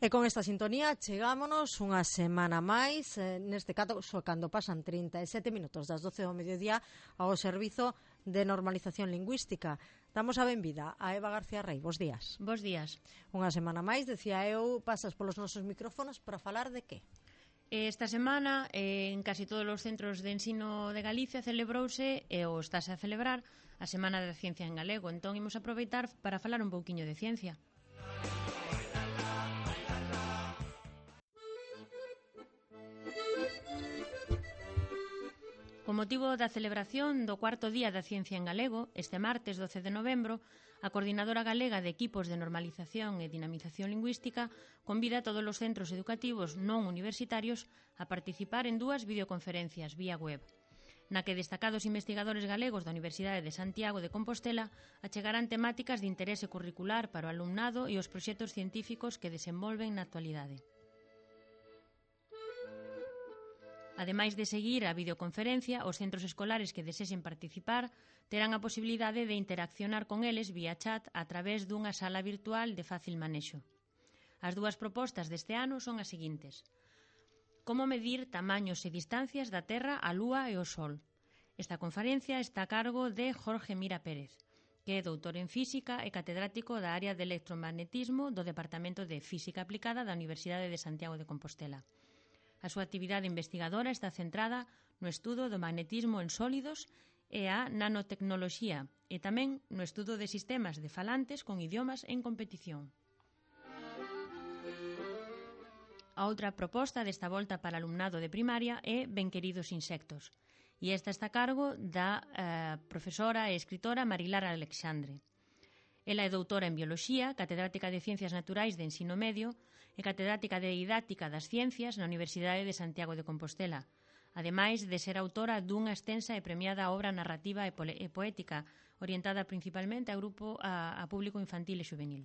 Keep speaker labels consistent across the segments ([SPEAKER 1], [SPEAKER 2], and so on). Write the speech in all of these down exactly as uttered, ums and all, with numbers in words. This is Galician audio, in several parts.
[SPEAKER 1] E con esta sintonía chegámonos unha semana máis, eh, neste caso cando pasan trinta e sete minutos das doce do mediodía ao Servizo de Normalización Lingüística. Damos a benvida a Eva García Rey. Bos días.
[SPEAKER 2] Bos días.
[SPEAKER 1] Unha semana máis, decía eu, pasas polos nosos micrófonos para falar de que?
[SPEAKER 2] Esta semana, en casi todos os centros de ensino de Galicia celebrouse, e ou estáse a celebrar, a Semana da Ciencia en Galego. Entón, imos aproveitar para falar un pouquiño de ciencia. Con motivo da celebración do cuarto Día da Ciencia en Galego, este martes doce de novembro, a Coordinadora Galega de Equipos de Normalización e Dinamización Lingüística convida a todos os centros educativos non universitarios a participar en dúas videoconferencias vía web, na que destacados investigadores galegos da Universidade de Santiago de Compostela achegarán temáticas de interese curricular para o alumnado e os proxectos científicos que desenvolven na actualidade. Ademais de seguir a videoconferencia, os centros escolares que desexen participar terán a posibilidade de interaccionar con eles vía chat a través dunha sala virtual de fácil manexo. As dúas propostas deste ano son as seguintes: como medir tamaños e distancias da Terra, a Lúa e o Sol. Esta conferencia está a cargo de Jorge Mira Pérez, que é doutor en Física e catedrático da área de electromagnetismo do Departamento de Física Aplicada da Universidade de Santiago de Compostela. A súa actividade investigadora está centrada no estudo do magnetismo en sólidos e a nanotecnoloxía, e tamén no estudo de sistemas de falantes con idiomas en competición. A outra proposta desta volta para alumnado de primaria é Benqueridos insectos, e esta está a cargo da eh, profesora e escritora Marilar Alexandre. Ela é doutora en Bioloxía, catedrática de Ciencias Naturais de Ensino Medio e catedrática de Didáctica das Ciencias na Universidade de Santiago de Compostela, ademais de ser autora dunha extensa e premiada obra narrativa e, e poética orientada principalmente a grupo a, a público infantil e juvenil.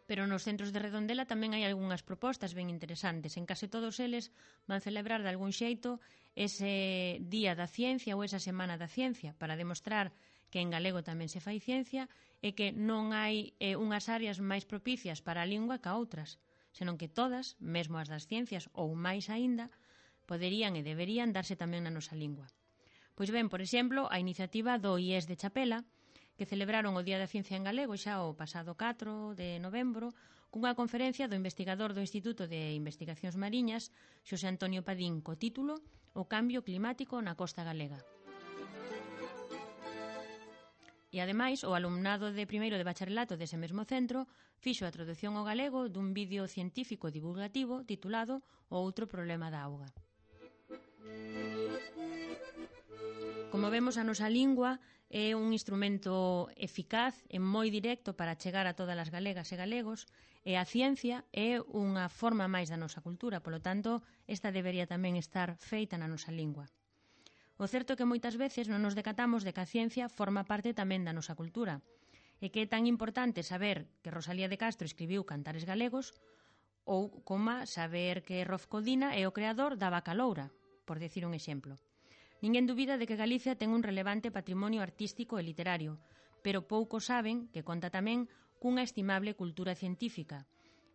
[SPEAKER 2] Pero nos centros de Redondela tamén hai algunhas propostas ben interesantes. En case todos eles van celebrar de algún xeito ese Día da Ciencia ou esa Semana da Ciencia para demostrar que en galego tamén se fai ciencia e que non hai eh, unhas áreas máis propicias para a lingua que outras, senón que todas, mesmo as das ciencias ou máis aínda, poderían e deberían darse tamén na nosa lingua. Pois ben, por exemplo, a iniciativa do I E S de Chapela, que celebraron o Día da Ciencia en Galego xa o pasado catro de novembro cunha conferencia do investigador do Instituto de Investigacións Mariñas, Xosé Antonio Padín, co título O cambio climático na costa galega. E ademais, o alumnado de primeiro de bacharelato dese mesmo centro fixo a traducción ao galego dun vídeo científico divulgativo titulado O outro problema da auga. Como vemos, a nosa lingua é un instrumento eficaz e moi directo para chegar a todas as galegas e galegos, e a ciencia é unha forma máis da nosa cultura, polo tanto, esta debería tamén estar feita na nosa lingua. O certo é que moitas veces non nos decatamos de que a ciencia forma parte tamén da nosa cultura, e que é tan importante saber que Rosalía de Castro escribiu Cantares Galegos, ou coma saber que Rolf Codina é o creador da vaca loura, por decir un exemplo. Ninguén dubida de que Galicia ten un relevante patrimonio artístico e literario, pero poucos saben que conta tamén cunha estimable cultura científica.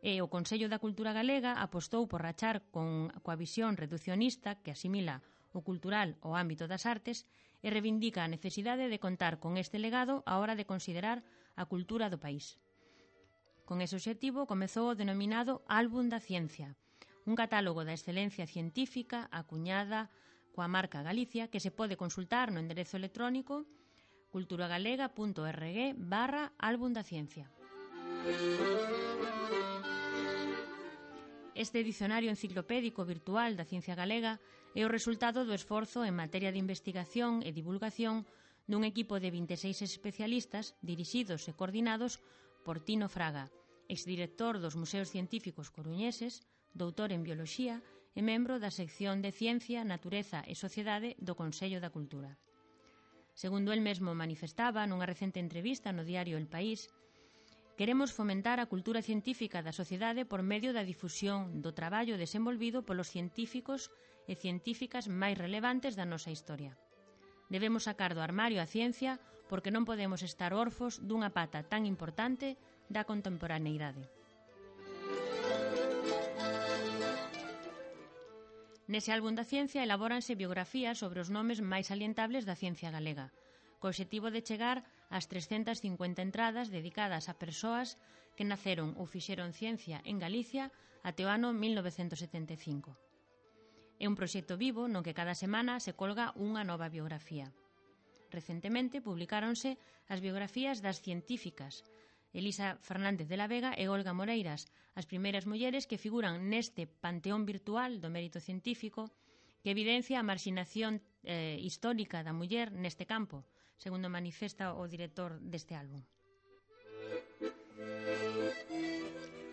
[SPEAKER 2] E o Consello da Cultura Galega apostou por rachar con coa visión reducionista que asimila o cultural ao ámbito das artes e reivindica a necesidade de contar con este legado á hora de considerar a cultura do país. Con ese obxectivo comezou o denominado Álbum da Ciencia, un catálogo da excelencia científica acuñada coa marca Galicia, que se pode consultar no enderezo electrónico culturagalega.org barra álbum da ciencia. Este dicionario enciclopédico virtual da ciencia galega é o resultado do esforzo en materia de investigación e divulgación dun equipo de vinte e seis especialistas dirixidos e coordinados por Tino Fraga, exdirector dos Museos Científicos Coruñeses, doutor en Bioloxía e membro da sección de Ciencia, Natureza e Sociedade do Consello da Cultura. Segundo el mesmo manifestaba nunha recente entrevista no diario El País, queremos fomentar a cultura científica da sociedade por medio da difusión do traballo desenvolvido polos científicos e científicas máis relevantes da nosa historia. Debemos sacar do armario a ciencia porque non podemos estar orfos dunha pata tan importante da contemporaneidade. Nese álbum da ciencia elabóranse biografías sobre os nomes máis salientables da ciencia galega, co obxectivo de chegar ás trescentas cincuenta entradas dedicadas a persoas que naceron ou fixeron ciencia en Galicia até o ano mil novecentos setenta e cinco. É un proxecto vivo no que cada semana se colga unha nova biografía. Recentemente publicáronse as biografías das científicas Elisa Fernández de la Vega e Olga Moreiras, as primeiras mulleres que figuran neste panteón virtual do mérito científico que evidencia a marxinación eh, histórica da muller neste campo, segundo manifesta o director deste álbum.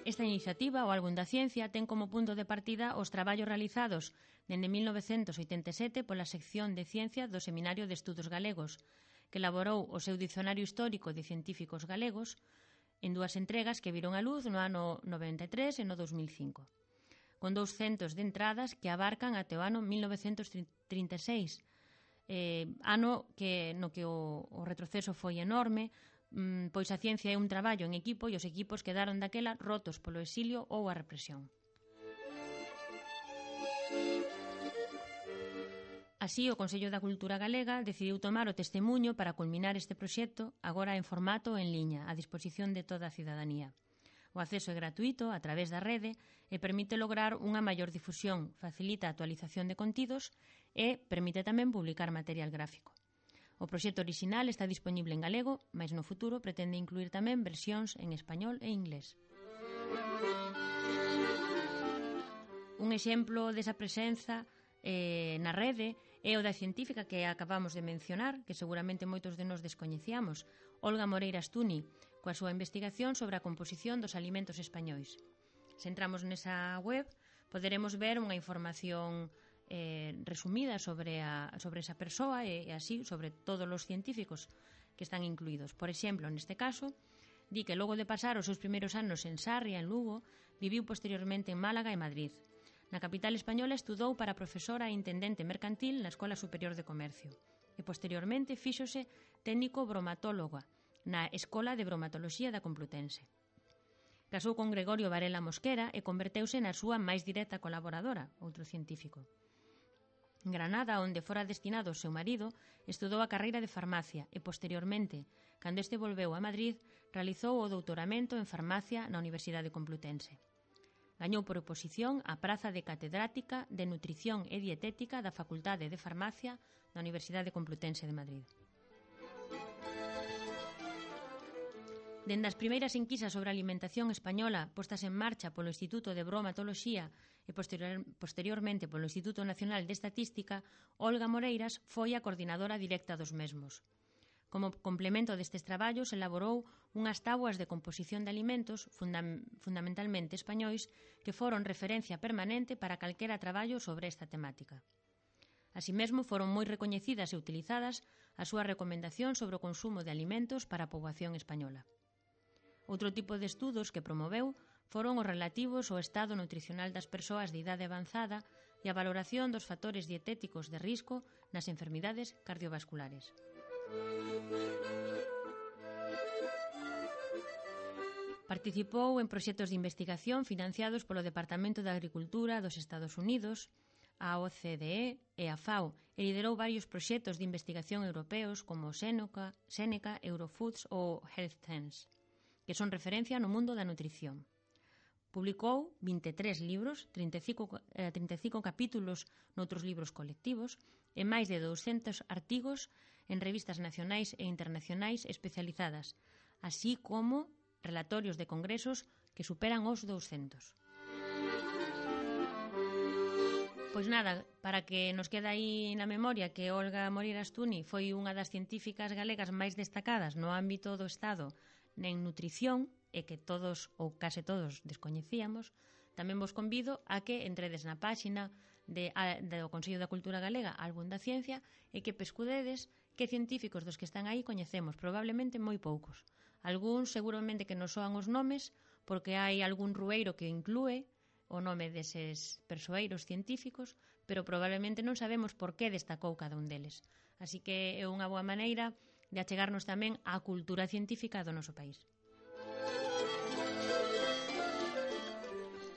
[SPEAKER 2] Esta iniciativa, o Álbum da Ciencia, ten como punto de partida os traballos realizados dende mil novecentos oitenta e sete pola sección de Ciencia do Seminario de Estudos Galegos, que elaborou o seu Dicionario Histórico de Científicos Galegos en dúas entregas que viron a luz no ano noventa e tres e no dos mil cinco, con douscentas de entradas que abarcan até o ano mil novecentos trinta e seis, eh, ano que, no que o, o retroceso foi enorme, mm, pois a ciencia é un traballo en equipo e os equipos quedaron daquela rotos polo exilio ou a represión. Así, o Consello da Cultura Galega decidiu tomar o testemuño para culminar este proxecto agora en formato en liña, a disposición de toda a cidadanía. O acceso é gratuito a través da rede e permite lograr unha maior difusión, facilita a actualización de contidos e permite tamén publicar material gráfico. O proxecto orixinal está disponible en galego, mas no futuro pretende incluir tamén versións en español e inglés. Un exemplo desa presenza eh, na rede é o da científica que acabamos de mencionar, que seguramente moitos de nós descoñecíamos, Olga Moreiras Tuni, coa súa investigación sobre a composición dos alimentos españois. Se entramos nesa web, poderemos ver unha información eh, resumida sobre, a, sobre esa persoa e, e así sobre todos os científicos que están incluídos. Por exemplo, neste caso, di que logo de pasar os seus primeiros anos en Sarria, en Lugo, viviu posteriormente en Málaga e Madrid. Na capital española estudou para profesora e intendente mercantil na Escola Superior de Comercio e posteriormente fíxose técnico bromatóloga na Escola de Bromatoloxía da Complutense. Casou con Gregorio Varela Mosquera e converteuse na súa máis directa colaboradora, outro científico. En Granada, onde fora destinado o seu marido, estudou a carreira de farmacia e posteriormente, cando este volveu a Madrid, realizou o doutoramento en farmacia na Universidade Complutense. Gañou por oposición a praza de catedrática de Nutrición e Dietética da Facultade de Farmacia da Universidade Complutense de Madrid. Dende as primeiras enquisas sobre a alimentación española postas en marcha polo Instituto de Bromatoloxía e posterior, posteriormente polo Instituto Nacional de Estatística, Olga Moreiras foi a coordinadora directa dos mesmos. Como complemento destes traballos, elaborou unhas tábuas de composición de alimentos, fundam fundamentalmente españois, que foron referencia permanente para calquera traballo sobre esta temática. Así mesmo, foron moi recoñecidas e utilizadas as súas recomendacións sobre o consumo de alimentos para a poboación española. Outro tipo de estudos que promoveu foron os relativos ao estado nutricional das persoas de idade avanzada e a valoración dos factores dietéticos de risco nas enfermidades cardiovasculares. Participou en proxectos de investigación financiados polo Departamento de Agricultura dos Estados Unidos, a O C D E e a FAO, e liderou varios proxectos de investigación europeos como Seneca, Seneca, Eurofoods ou HealthSense, que son referencia no mundo da nutrición. Publicou vinte e tres libros, trinta e cinco, eh, trinta e cinco capítulos noutros libros colectivos e máis de douscentos artigos en revistas nacionais e internacionais especializadas, así como relatorios de congresos que superan os douscentos. Pois nada, para que nos quede aí na memoria que Olga Moreiras Tuni foi unha das científicas galegas máis destacadas no ámbito do Estado en nutrición e que todos ou case todos descoñecíamos, tamén vos convido a que entredes na páxina de, a, do Consello da Cultura Galega, Álbum da Ciencia, e que pescudedes que científicos dos que están aí coñecemos, probablemente moi poucos. Algúns seguramente que non soan os nomes, porque hai algún rueiro que inclúe o nome deses persoeiros científicos, pero probablemente non sabemos por que destacou cada un deles. Así que é unha boa maneira de achegarnos tamén á cultura científica do noso país.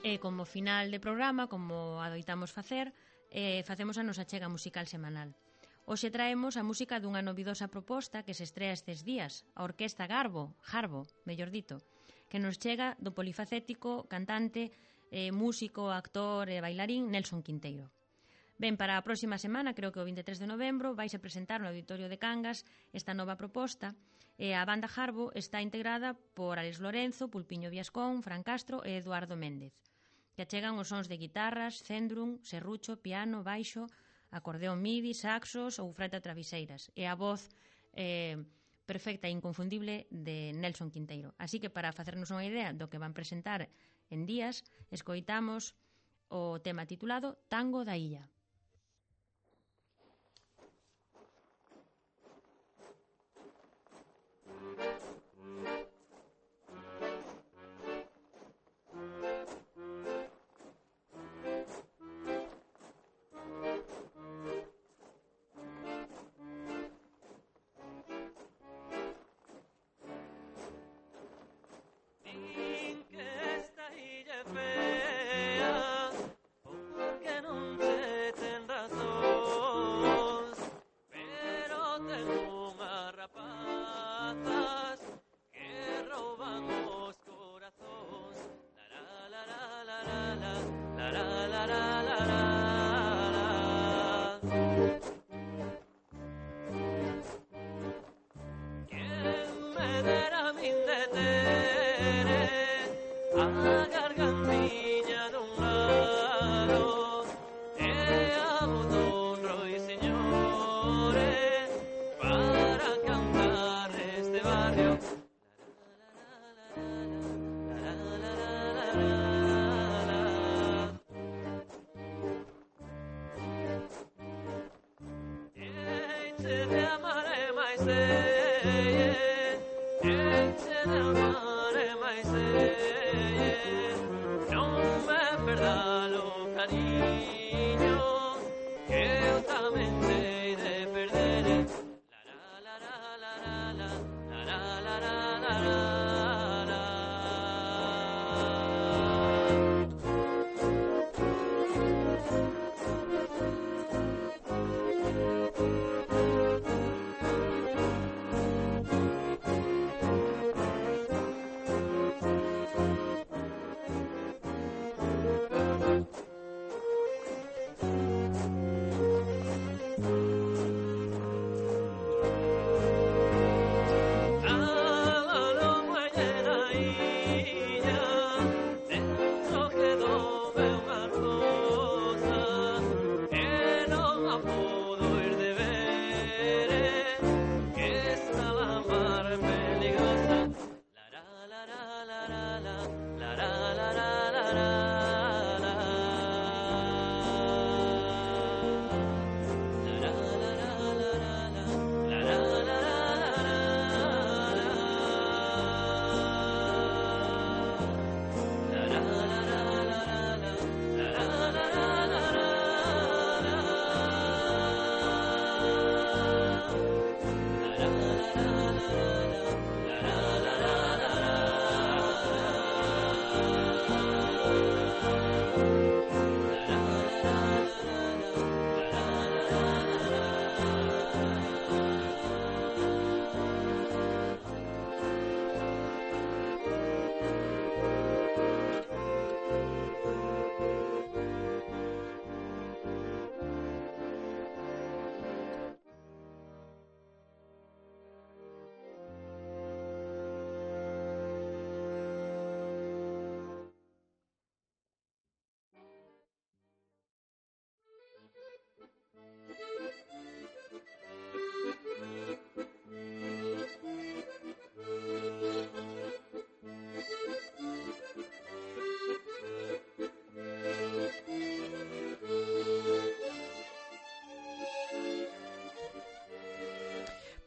[SPEAKER 2] E como final de programa, como adoitamos facer, eh, facemos a nosa chega musical semanal. Hoxe traemos a música dunha novidosa proposta que se estrea estes días, a Orquesta Garbo, Jarbo, mellor dito, que nos chega do polifacético, cantante, eh, músico, actor e bailarín Nelson Quinteiro. Ben, para a próxima semana, creo que o vinte e tres de novembro, vais a presentar no Auditorio de Cangas esta nova proposta, e a banda Jarbo está integrada por Alex Lorenzo, Pulpiño Viascón, Fran Castro e Eduardo Méndez, que achegan os sons de guitarras, cendrún, serrucho, piano, baixo, acordeón midi, saxos ou frauta traveseiras, e a voz eh, perfecta e inconfundible de Nelson Quinteiro. Así que para facernos unha idea do que van presentar en días, escoitamos o tema titulado Tango da Illa.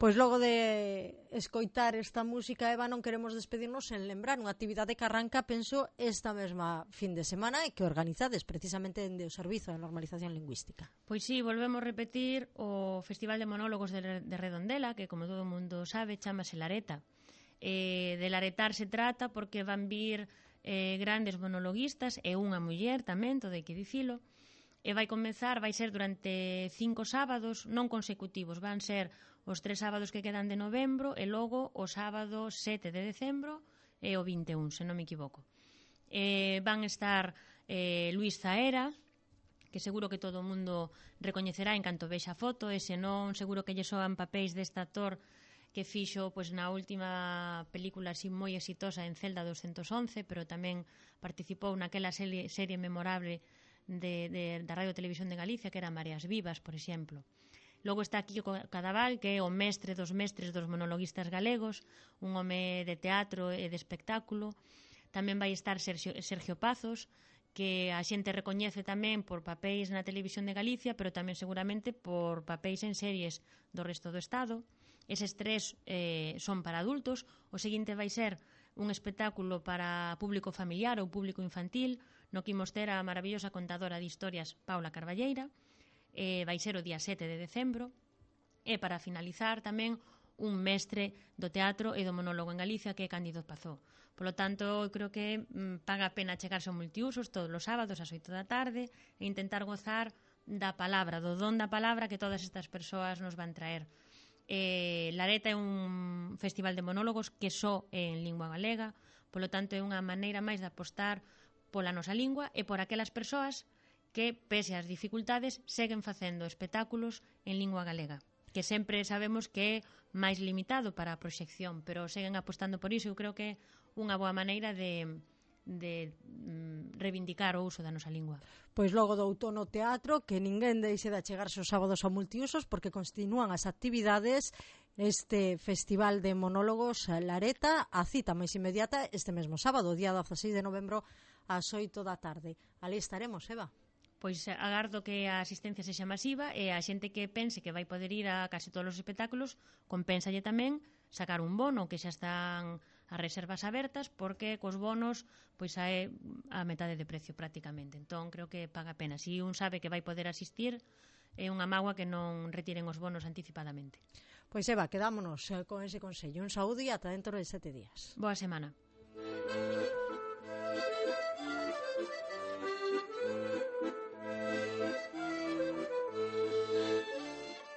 [SPEAKER 1] Pois logo de escoitar esta música, Eva, non queremos despedirnos en lembrar unha actividade que arranca, penso, esta mesma fin de semana e que organizades precisamente dende o Servizo de Normalización Lingüística.
[SPEAKER 2] Pois sí, volvemos a repetir o Festival de Monólogos de, de Redondela, que como todo o mundo sabe, chamase Lareta. Eh, de laretar se trata porque van vir eh, grandes monologuistas e unha muller tamén, todo hai que dicilo, e vai comezar, vai ser durante cinco sábados non consecutivos, van ser os tres sábados que quedan de novembro e logo o sábado sete de decembro e o vinte e un, se non me equivoco. Eh, van estar eh, Luís Zaera, que seguro que todo o mundo recoñecerá en canto vexa a foto, e se non, seguro que lle soan papéis deste actor que fixo pois, na última película así moi exitosa en Celda doscientos once, pero tamén participou naquela serie, serie memorable de, de, da Radio Televisión de Galicia, que era Mareas Vivas, por exemplo. Logo está Kiko Cadaval, que é o mestre dos mestres dos monologuistas galegos, un home de teatro e de espectáculo. Tamén vai estar Sergio, Sergio Pazos, que a xente recoñece tamén por papéis na Televisión de Galicia, pero tamén seguramente por papéis en series do resto do Estado. Eses tres eh, son para adultos. O seguinte vai ser un espectáculo para público familiar ou público infantil, no que imos ter a maravillosa contadora de historias Paula Carballeira. Eh, vai ser o día sete de decembro. E para finalizar tamén un mestre do teatro e do monólogo en Galicia, que é Cándido Pazó. Por lo tanto, creo que mm, paga a pena chegarse ao multiusos todos os sábados ás oito da tarde e intentar gozar da palabra, do don da palabra que todas estas persoas nos van traer. Eh, Lareta é un festival de monólogos que só é en lingua galega, polo tanto é unha maneira máis de apostar pola nosa lingua e por aquelas persoas que, pese ás dificultades, seguen facendo espectáculos en lingua galega, que sempre sabemos que é máis limitado para a proxección, pero seguen apostando por iso. Eu creo que é unha boa maneira de, de mm, reivindicar o uso da nosa lingua.
[SPEAKER 1] Pois logo do outono teatro, que ninguén deixe de achegarse os sábados a multiusos, porque continúan as actividades. Este Festival de Monólogos Lareta, a cita máis inmediata este mesmo sábado, día dezaseis de novembro, ás oito da tarde. Ali estaremos, Eva.
[SPEAKER 2] Pois agardo que a asistencia sexa masiva e a xente que pense que vai poder ir a case todos os espectáculos, compénsalle tamén sacar un bono, que xa están as reservas abertas, porque cos bonos pois é a metade de precio prácticamente. Entón creo que paga a pena. Si un sabe que vai poder asistir, é unha mágoa que non retiren os bonos anticipadamente.
[SPEAKER 1] Pois Eva, quedámonos con ese consello. Un saúdo e ata dentro de sete días.
[SPEAKER 2] Boa semana.